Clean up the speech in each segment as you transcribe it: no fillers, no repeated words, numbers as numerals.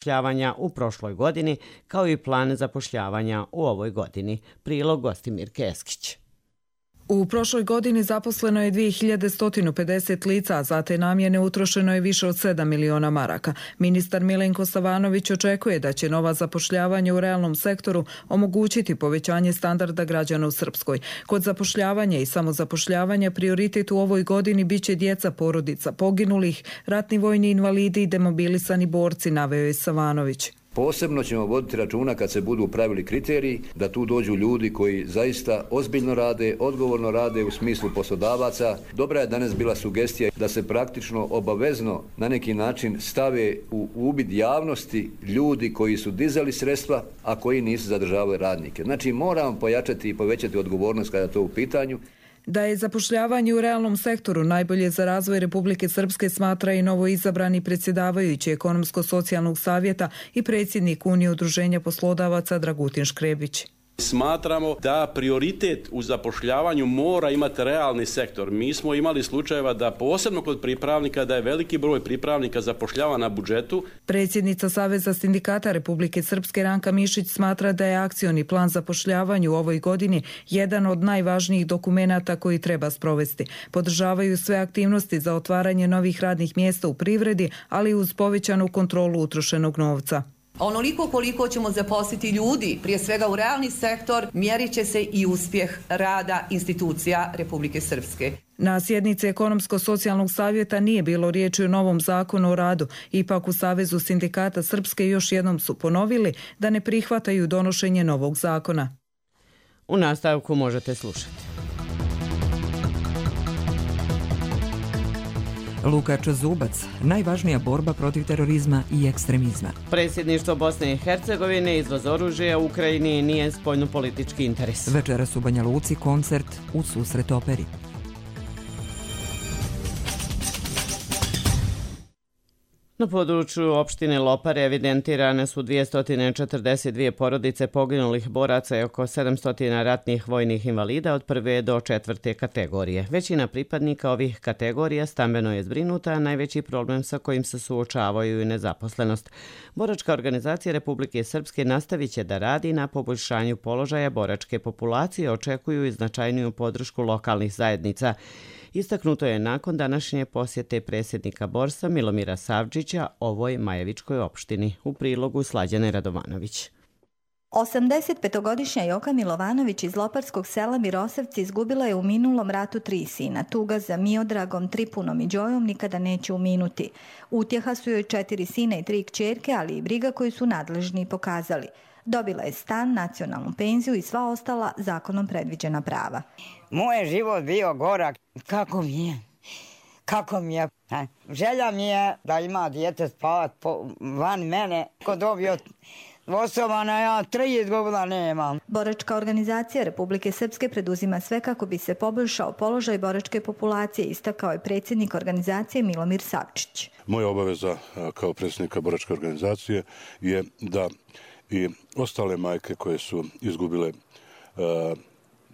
zapošljavanja u prošloj godini, kao i plan zapošljavanja u ovoj godini. Prilog Gostimir Keskić. U prošloj godini zaposleno je 2150 lica, a za te namjene utrošeno je više od 7 miliona maraka. Ministar Milenko Savanović očekuje da će nova zapošljavanja u realnom sektoru omogućiti povećanje standarda građana u Srpskoj. Kod zapošljavanja i samozapošljavanja prioritet u ovoj godini biće djeca porodica poginulih, ratni vojni invalidi i demobilisani borci, naveo je Savanović. Posebno ćemo voditi računa kad se budu pravili kriteriji da tu dođu ljudi koji zaista ozbiljno rade, odgovorno rade u smislu poslodavaca. Dobra je danas bila sugestija da se praktično obavezno na neki način stave u uvid javnosti ljudi koji su dizali sredstva, a koji nisu zadržavali radnike. Znači moramo pojačati i povećati odgovornost kada je to u pitanju. Da je zapošljavanje u realnom sektoru najbolje za razvoj Republike Srpske smatra i novo izabrani predsjedavajući Ekonomsko-socijalnog savjeta i predsjednik Unije udruženja poslodavaca Dragutin Škrebić. Smatramo da prioritet u zapošljavanju mora imati realni sektor. Mi smo imali slučajeva da posebno kod pripravnika da je veliki broj pripravnika zapošljava na budžetu. Predsjednica Saveza sindikata Republike Srpske Ranka Mišić smatra da je akcioni plan zapošljavanju u ovoj godini jedan od najvažnijih dokumenata koji treba sprovesti. Podržavaju sve aktivnosti za otvaranje novih radnih mjesta u privredi, ali uz povećanu kontrolu utrošenog novca. Onoliko koliko ćemo zaposliti ljudi, prije svega u realni sektor, mjerit će se i uspjeh rada institucija Republike Srpske. Na sjednici Ekonomsko-socijalnog savjeta nije bilo riječi o novom zakonu o radu. Ipak u Savezu sindikata Srpske još jednom su ponovili da ne prihvataju donošenje novog zakona. U nastavku možete slušati. Lukač Zubac, najvažnija borba protiv terorizma i ekstremizma. Predsjedništvo Bosne i Hercegovine, izvoz oružja u Ukrajini nije spoljnopolitički interes. Večeras u Banja Luci koncert u susret operi. Na području opštine Lopare evidentirane su 242 porodice poginulih boraca i oko 700 ratnih vojnih invalida od 1. do 4. kategorije. Većina pripadnika ovih kategorija stambeno je zbrinuta, a najveći problem sa kojim se suočavaju i nezaposlenost. Boračka organizacija Republike Srpske nastavit će da radi na poboljšanju položaja boračke populacije, očekuju i značajniju podršku lokalnih zajednica. Istaknuto je nakon današnje posjete predsjednika Borsa Milomira Savčića ovoj Majevičkoj opštini. U prilogu Slađane Radovanović. 85-godišnja Joka Milovanović iz loparskog sela Mirosavci izgubila je u minulom ratu 3 sina. Tuga za Miodragom, Tripunom i Đojom nikada neće uminuti. Utjeha su joj 4 sina i 3 kćerke, ali i briga koju su nadležni pokazali. Dobila je stan, nacionalnu penziju i sva ostala zakonom predviđena prava. Moj je život bio gorak. Kako mi je? Želja mi je da ima dijete spavat van mene. Ko dobio osobana, ja 3 izgubila nemam. Boračka organizacija Republike Srpske preduzima sve kako bi se poboljšao položaj boračke populacije, istakao je predsjednik organizacije Milomir Savčić. Moja obaveza kao predsjednika boračke organizacije je da i ostale majke koje su izgubile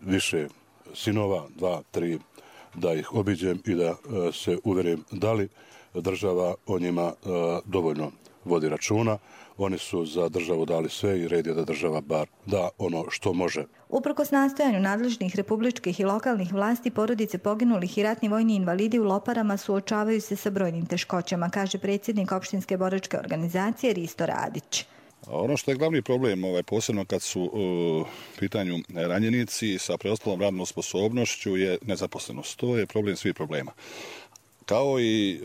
više sinova, 2, 3, da ih obiđem i da se uverim da li država o njima dovoljno vodi računa. Oni su za državu dali sve i red je da država bar da ono što može. Uprkos nastojanju nadležnih republičkih i lokalnih vlasti, porodice poginulih i ratni vojni invalidi u Loparama suočavaju se sa brojnim teškoćama, kaže predsjednik opštinske boračke organizacije Risto Radić. Ono što je glavni problem, posebno kad su u pitanju ranjenici sa preostalom radnom sposobnošću, je nezaposlenost. To je problem svih problema. Kao i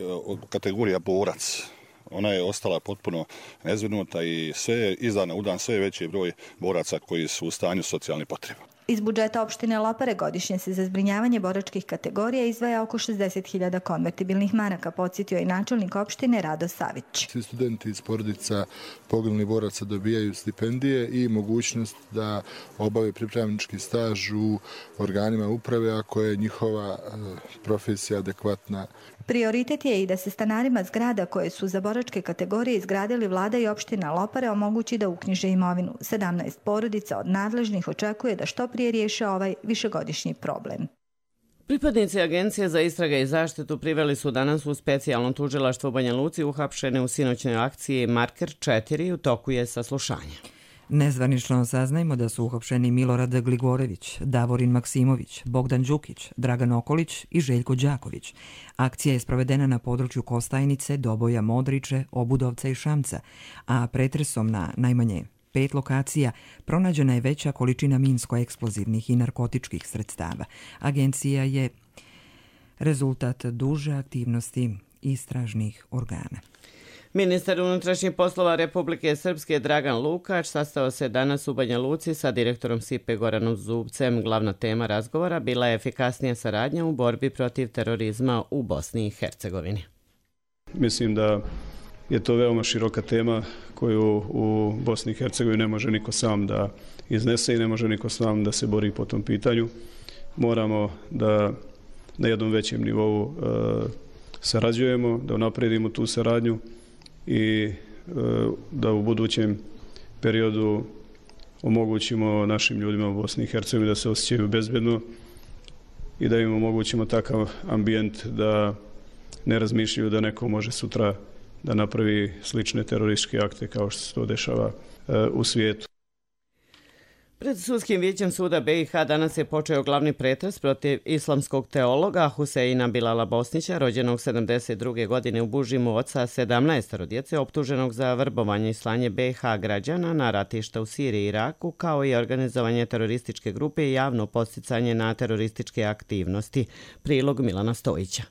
kategorija borac. Ona je ostala potpuno nezbrinuta i sve iz dana u dan sve veći broj boraca koji su u stanju socijalnih potreba. Iz budžeta opštine Lopare godišnje se za zbrinjavanje boračkih kategorija izdvaja oko 60.000 konvertibilnih maraka, podsjetio je načelnik opštine Rado Savić. Svi studenti iz porodica poginulih boraca dobijaju stipendije i mogućnost da obave pripravnički staž u organima uprave ako je njihova profesija adekvatna. Prioritet je i da se stanarima zgrada koje su za boračke kategorije izgradili vlada i opština Lopare omogući da uknjiže imovinu. 17 porodica od nadležnih očekuje da što prije riješe ovaj višegodišnji problem. Pripadnici Agencije za istrage i zaštitu priveli su danas u specijalno tužilaštvo u Banja Luci uhapšene u sinoćnoj akciji Marker 4, u toku je saslušanje. Nezvanično saznajmo da su uhapšeni Milorad Gligorević, Davorin Maksimović, Bogdan Đukić, Dragan Okolić i Željko Đaković. Akcija je sprovedena na području Kostajnice, Doboja, Modriče, Obudovca i Šamca, a pretresom na najmanje 5 lokacija pronađena je veća količina minsko-eksplozivnih i narkotičkih sredstava. Agencija je rezultat duže aktivnosti istražnih organa. Ministar unutrašnjih poslova Republike Srpske Dragan Lukač sastao se danas u Banja Luci sa direktorom SIPE Goranom Zubcem. Glavna tema razgovora bila je efikasnija saradnja u borbi protiv terorizma u Bosni i Hercegovini. Mislim da je to veoma široka tema koju u Bosni i Hercegovini ne može niko sam da iznese i ne može niko sam da se bori po tom pitanju. Moramo da na jednom većem nivou sarađujemo, da unapredimo tu saradnju i da u budućem periodu omogućimo našim ljudima u Bosni i Hercegovini da se osjećaju bezbedno i da im omogućimo takav ambijent da ne razmišljaju da neko može sutra da napravi slične terorističke akte kao što se to dešava u svijetu. Pred Sudskim vijećem suda BiH danas je počeo glavni pretres protiv islamskog teologa Huseina Bilala Bosnića, rođenog 72. godine u Bužimu, oca 17 djece, optuženog za vrbovanje i slanje BiH građana na ratišta u Siriji i Iraku, kao i organizovanje terorističke grupe i javno podsticanje na terorističke aktivnosti. Prilog Milana Stojića.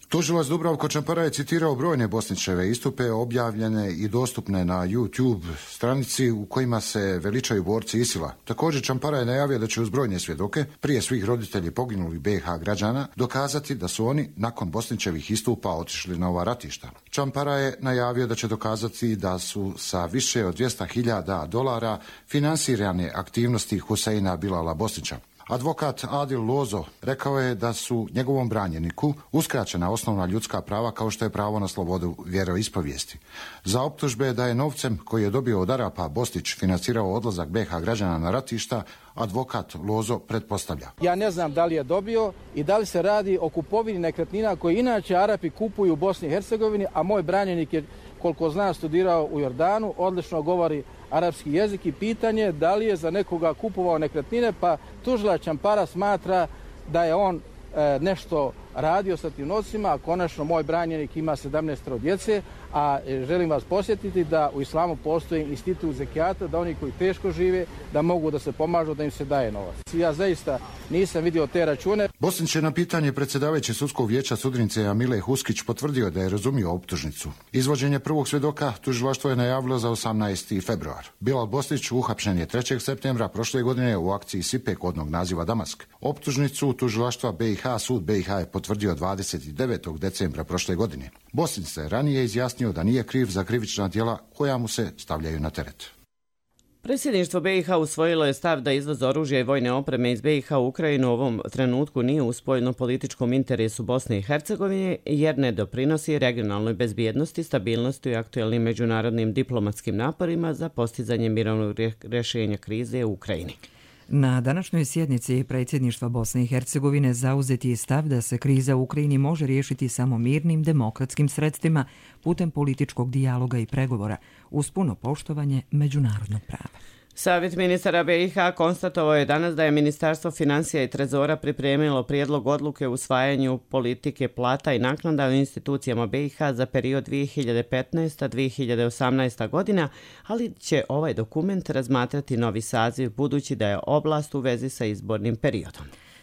Tužilac Dubravko Čampara je citirao brojne Bosnićeve istupe objavljene i dostupne na YouTube stranici u kojima se veličaju borci ISIL-a. Također Čampara je najavio da će uz brojne svjedoke, prije svih roditelji poginulih BiH građana, dokazati da su oni nakon Bosnićevih istupa otišli na ova ratišta. Čampara je najavio da će dokazati da su sa više od $200.000 finansirane aktivnosti Huseina Bilala Bosnića. Advokat Adil Lozo rekao je da su njegovom branjeniku uskraćena osnovna ljudska prava kao što je pravo na slobodu vjeroispovijesti. Za optužbe da je novcem koji je dobio od Arapa Bosnić financirao odlazak BiH građana na ratišta, advokat Lozo pretpostavlja. Ja ne znam da li je dobio i da li se radi o kupovini nekretnina koje inače Arapi kupuju u Bosni i Hercegovini, a moj branjenik je, koliko zna, studirao u Jordanu, odlično govori arapski jezik i pitanje da li je za nekoga kupovao nekretnine, pa tužilac Čampara smatra da je on nešto radio sa tim novcima, a konačno moj branjenik ima 17 djece, a želim vas posjetiti da u islamu postoji institut zekijata, da oni koji teško žive, da mogu da se pomažu, da im se daje novac. Ja zaista nisam vidio te račune. Bosnić je na pitanje predsjedavajuće sudskog vijeća sudnice Amile Huskić potvrdio da je razumio optužnicu. Izvođenje prvog svjedoka tužilaštvo je najavilo za 18. februar. Bilal Bosnić uhapšen je 3. septembra prošle godine u akciji SIPE kodnog naziva Damask. Optužnicu tužilaštva BiH sud BiH je potvrdio 29. decembra prošle godine. Bosnić se ranije izjasnio da nije kriv za krivična djela koja mu se stavljaju na teret. Predsjedništvo BiH usvojilo je stav da izvoz oružja i vojne opreme iz BiH u Ukrajinu u ovom trenutku nije u spoljno-političkom interesu Bosne i Hercegovine jer ne doprinosi regionalnoj bezbjednosti, stabilnosti i aktuelnim međunarodnim diplomatskim naporima za postizanje mirovnog rješenja krize u Ukrajini. Na današnjoj sjednici predsjedništva Bosne i Hercegovine zauzeti je stav da se kriza u Ukrajini može riješiti samo mirnim demokratskim sredstvima putem političkog dijaloga i pregovora uz puno poštovanje međunarodnog prava. Savjet ministara BiH konstatovao je danas da je Ministarstvo financija i trezora pripremilo prijedlog odluke o usvajanju politike plata i naknada u institucijama BiH za period 2015-2018 godina, ali će ovaj dokument razmatrati novi saziv budući da je oblast u vezi sa izbornim periodom.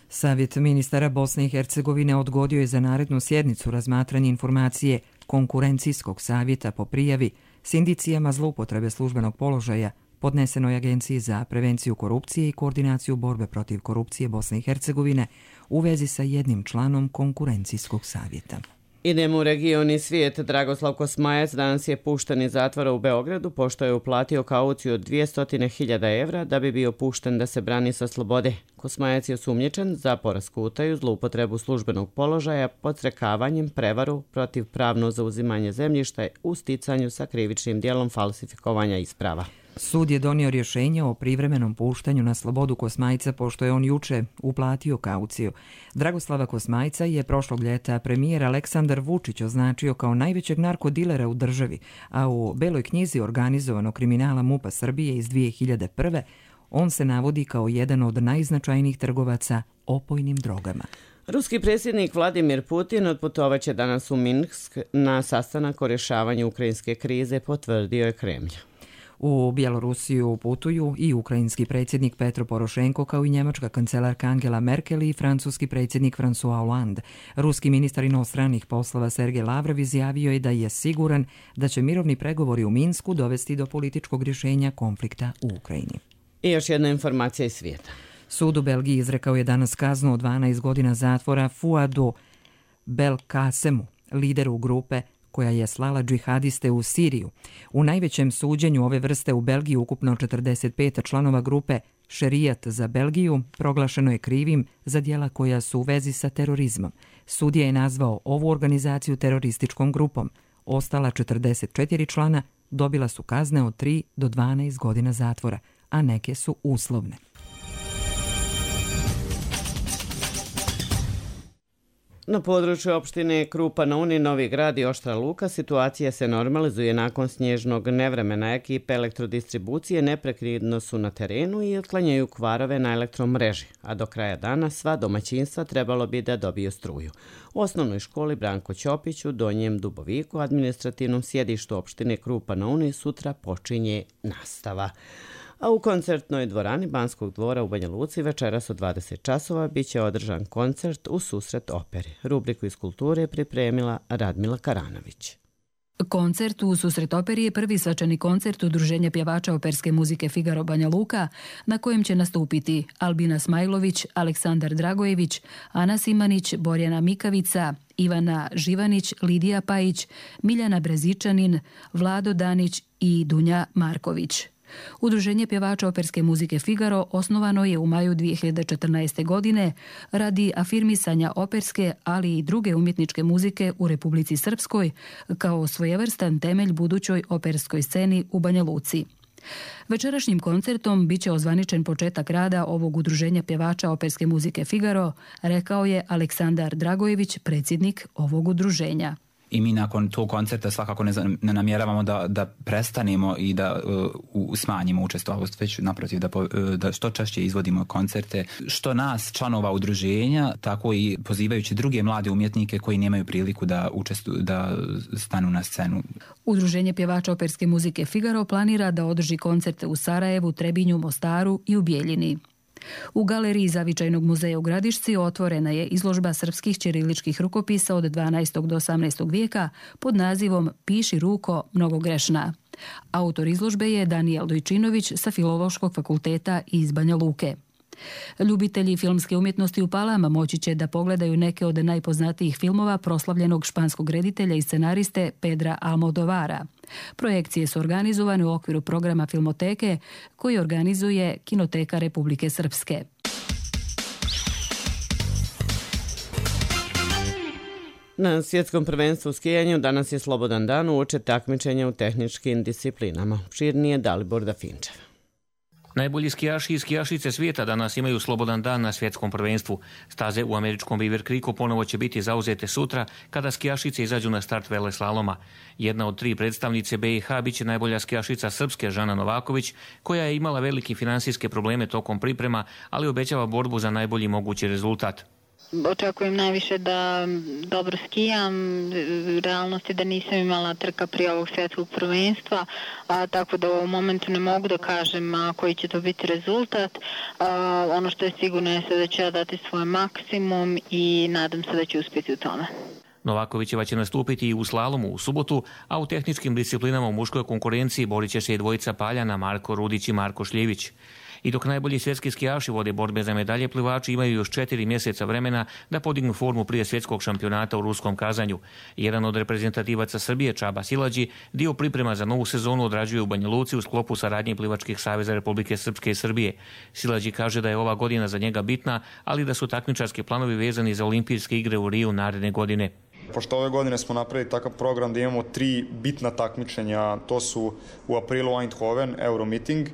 Savjet ministara Bosne i Hercegovine odgodio je za narednu sjednicu razmatranje informacije konkurencijskog savjeta po prijavi s indicijama zloupotrebe službenog položaja podnesenoj Agenciji za prevenciju korupcije i koordinaciju borbe protiv korupcije Bosne i Hercegovine u vezi sa jednim članom konkurencijskog savjeta. Idemo u region i svijet. Dragoslav Kosmajac danas je pušten iz zatvora u Beogradu pošto je uplatio kauciju od 200.000 evra da bi bio pušten da se brani sa slobode. Kosmajac je osumnjičen za poresku utaju, zloupotrebu službenog položaja, podstrekavanjem, prevaru, protivpravno zauzimanje zemljišta u sticanju sa krivičnim djelom falsifikovanja isprava. Sud je donio rješenje o privremenom puštanju na slobodu Kosmajca pošto je on juče uplatio kauciju. Dragoslava Kosmajca je prošlog ljeta premijer Aleksandar Vučić označio kao najvećeg narkodilera u državi, a u Beloj knjizi organizovanog kriminala MUP-a Srbije iz 2001. on se navodi kao jedan od najznačajnijih trgovaca opojnim drogama. Ruski predsjednik Vladimir Putin otputovaće danas u Minsk na sastanak o rješavanju ukrajinske krize, potvrdio je Kremlj. U Bjelorusiju putuju i ukrajinski predsjednik Petro Porošenko kao i njemačka kancelarka Angela Merkel i francuski predsjednik François Hollande. Ruski ministar inostranih poslova Sergej Lavrov izjavio je da je siguran da će mirovni pregovori u Minsku dovesti do političkog rješenja konflikta u Ukrajini. I još jedna informacija iz svijeta. Sud u Belgiji izrekao je danas kaznu od 12 godina zatvora Fouadu Belkacemu, lideru grupe koja je slala džihadiste u Siriju. U najvećem suđenju ove vrste u Belgiji ukupno 45 članova grupe Šerijat za Belgiju proglašeno je krivim za djela koja su u vezi sa terorizmom. Sudija je nazvao ovu organizaciju terorističkom grupom. Ostala 44 člana dobila su kazne od 3 do 12 godina zatvora, a neke su uslovne. Na području opštine Krupa na Uni, Novi Grad i Oštra Luka situacija se normalizuje nakon snježnog nevremena. Ekipe elektrodistribucije neprekidno su na terenu i otklanjaju kvarove na elektromreži, a do kraja dana sva domaćinstva trebalo bi da dobiju struju. U osnovnoj školi Branko Ćopić u Donjem Duboviku, administrativnom sjedištu opštine Krupa na Uni, sutra počinje nastava. A u koncertnoj dvorani Banskog dvora u Banja Luci večeras od 20 časova biće održan koncert u susret operi. Rubriku iz kulture pripremila Radmila Karanović. Koncert u susret operi je prvi svečani koncert Udruženja pjevača operske muzike Figaro Banja Luka, na kojem će nastupiti Albina Smajlović, Aleksandar Dragojević, Ana Simanić, Borjana Mikavica, Ivana Živanić, Lidija Pajić, Miljana Brezičanin, Vlado Danić i Dunja Marković. Udruženje pjevača operske muzike Figaro osnovano je u maju 2014. godine radi afirmisanja operske, ali i druge umjetničke muzike u Republici Srpskoj kao svojevrstan temelj budućoj operskoj sceni u Banja Luci. Večerašnjim koncertom biće ozvaničen početak rada ovog udruženja pjevača operske muzike Figaro, rekao je Aleksandar Dragojević, predsjednik ovog udruženja. I mi nakon tog koncerta svakako ne namjeravamo da prestanemo i da smanjimo učestvovanje, već naprotiv da što češće izvodimo koncerte, što nas, članova udruženja, tako i pozivajući druge mlade umjetnike koji nemaju priliku da stanu na scenu. Udruženje pjevača operske muzike Figaro planira da održi koncerte u Sarajevu, Trebinju, Mostaru i u Bijeljini. U galeriji Zavičajnog muzeja u Gradišci otvorena je izložba srpskih ćiriličkih rukopisa od 12. do 18. vijeka pod nazivom Piši ruko mnogogrešna. Autor izložbe je Danijel Dojčinović sa Filološkog fakulteta iz Banja Luke. Ljubitelji filmske umjetnosti u Palama moći će da pogledaju neke od najpoznatijih filmova proslavljenog španskog reditelja i scenariste Pedra Almodovara. Projekcije su organizovane u okviru programa Filmoteke koji organizuje Kinoteka Republike Srpske. Na svjetskom prvenstvu u skijanju danas je slobodan dan uoči takmičenja u tehničkim disciplinama. Širnije Dalibor Dafinčev. Najbolji skijaši i skijašice svijeta danas imaju slobodan dan na svjetskom prvenstvu. Staze u američkom Beaver Creeku ponovo će biti zauzete sutra kada skijašice izađu na start veleslaloma. Jedna od 3 predstavnice BiH biće najbolja skijašica Srpske Žana Novaković, koja je imala velike finansijske probleme tokom priprema, ali obećava borbu za najbolji mogući rezultat. Očekujem najviše da dobro skijam, realnost je da nisam imala trka prije ovog svjetskog prvenstva, tako da u ovom momentu ne mogu da kažem koji će to biti rezultat. Ono što je sigurno je da ću ja dati svoj maksimum i nadam se da ću uspjeti u tome. Novakovićeva će nastupiti i u slalomu u subotu, a u tehničkim disciplinama u muškoj konkurenciji borit će se i dvojica Paljana, Marko Rudić i Marko Šljivić. I dok najbolji svjetski skijaši vode borbe za medalje, plivači imaju još 4 mjeseca vremena da podignu formu prije svjetskog šampionata u ruskom Kazanju. Jedan od reprezentativaca Srbije, Čaba Silađi, dio priprema za novu sezonu odrađuje u Banja Luci u sklopu saradnje plivačkih saveza Republike Srpske i Srbije. Silađi kaže da je ova godina za njega bitna, ali da su takmičarski planovi vezani za olimpijske igre u Riju naredne godine. Pošto ove godine smo napravili takav program da imamo 3 bitna takmičenja, to su u aprilu Eindhoven, Euromeeting,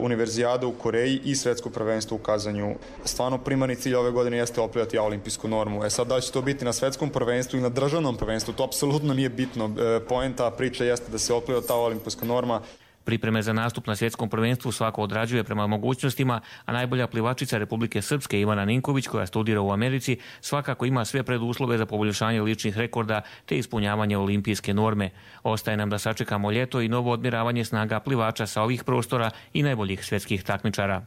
Univerzijada u Koreji i Svetsko prvenstvo u Kazanju. Stvarno primarni cilj ove godine jeste oplivati olimpijsku normu. Sad da će to biti na svetskom prvenstvu i na državnom prvenstvu, to apsolutno nije bitno. Poenta priče jeste da se opliva ta olimpijska norma. Pripreme za nastup na svjetskom prvenstvu svako odrađuje prema mogućnostima, a najbolja plivačica Republike Srpske Ivana Ninković, koja studira u Americi, svakako ima sve preduslove za poboljšanje ličnih rekorda te ispunjavanje olimpijske norme. Ostaje nam da sačekamo ljeto i novo odmjeravanje snaga plivača sa ovih prostora i najboljih svjetskih takmičara.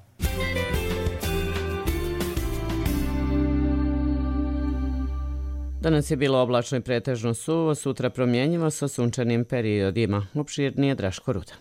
Danas je bilo oblačno i pretežno suvo, sutra promjenjivo sa sunčanim periodima. Opširnije Draško Rudan.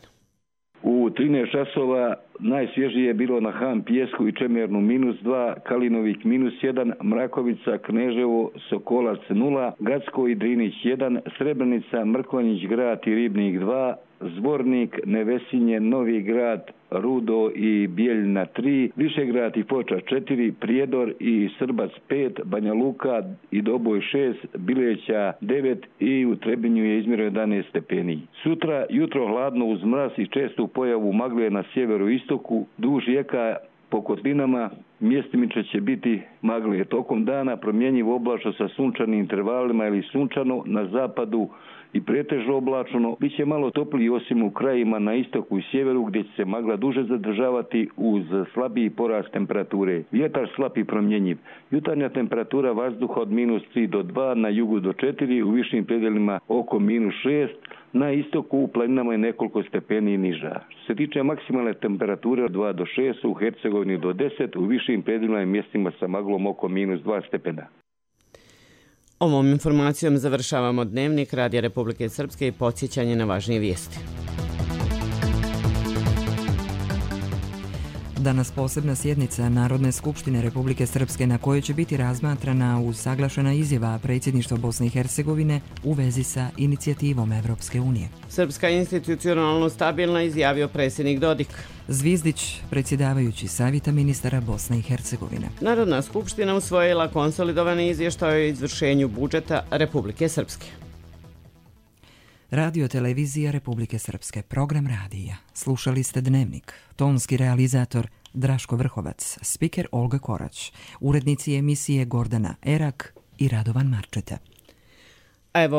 U 13 časova najsvježije je bilo na Han Pijesku i Čemernu -2, Kalinovik -1, Mrakovica, Kneževo, Sokolac 0, Gacko i Drinić 1, Srebrenica, Mrkonjić Grad i Ribnik 2, Zvornik, Nevesinje, Novi Grad, Rudo i Bijeljina 3, Višegrad i Foča 4, Prijedor i Srbac 5, Banja Luka i Doboj 6, Bileća 9 i u Trebinju je izmjereno 11 stepeni. Sutra jutro hladno uz mraz i čestu pojavu magle na sjeveru i istoku, duž rijeka po kotlinama, mjestimično će biti magle. Tokom dana promjenjivo oblačno sa sunčanim intervalima ili sunčano na zapadu i pretežno oblačno, bit će malo topliji osim u krajima na istoku i sjeveru gdje će se magla duže zadržavati uz slabiji porast temperature. Vjetar slab i promjenjiv. Jutarnja temperatura vazduha od -3 do 2, na jugu do 4, u višim predjelima oko -6, na istoku u planinama je nekoliko stepeni niža. Što se tiče maksimalne temperature od 2 do 6, u Hercegovini do 10, u višim predjelima i mjestima sa maglom oko -2 stepena. Ovom informacijom završavamo dnevnik Radija Republike Srpske i podsjećanje na važnije vijesti. Danas posebna sjednica Narodne skupštine Republike Srpske na kojoj će biti razmatrana usaglašena izjava predsjedništva Bosne i Hercegovine u vezi sa inicijativom Evropske unije. Srpska institucionalno stabilna, izjavio predsjednik Dodik. Zvizdić, predsjedavajući Savjeta ministara Bosne i Hercegovine. Narodna skupština usvojila konsolidovani izvještaj o izvršenju budžeta Republike Srpske. Radio televizija Republike Srpske, program radija. Slušali ste Dnevnik. Tonski realizator Draško Vrhovac, spiker Olga Korać, urednici emisije Gordana Erak i Radovan Marčeta. Evo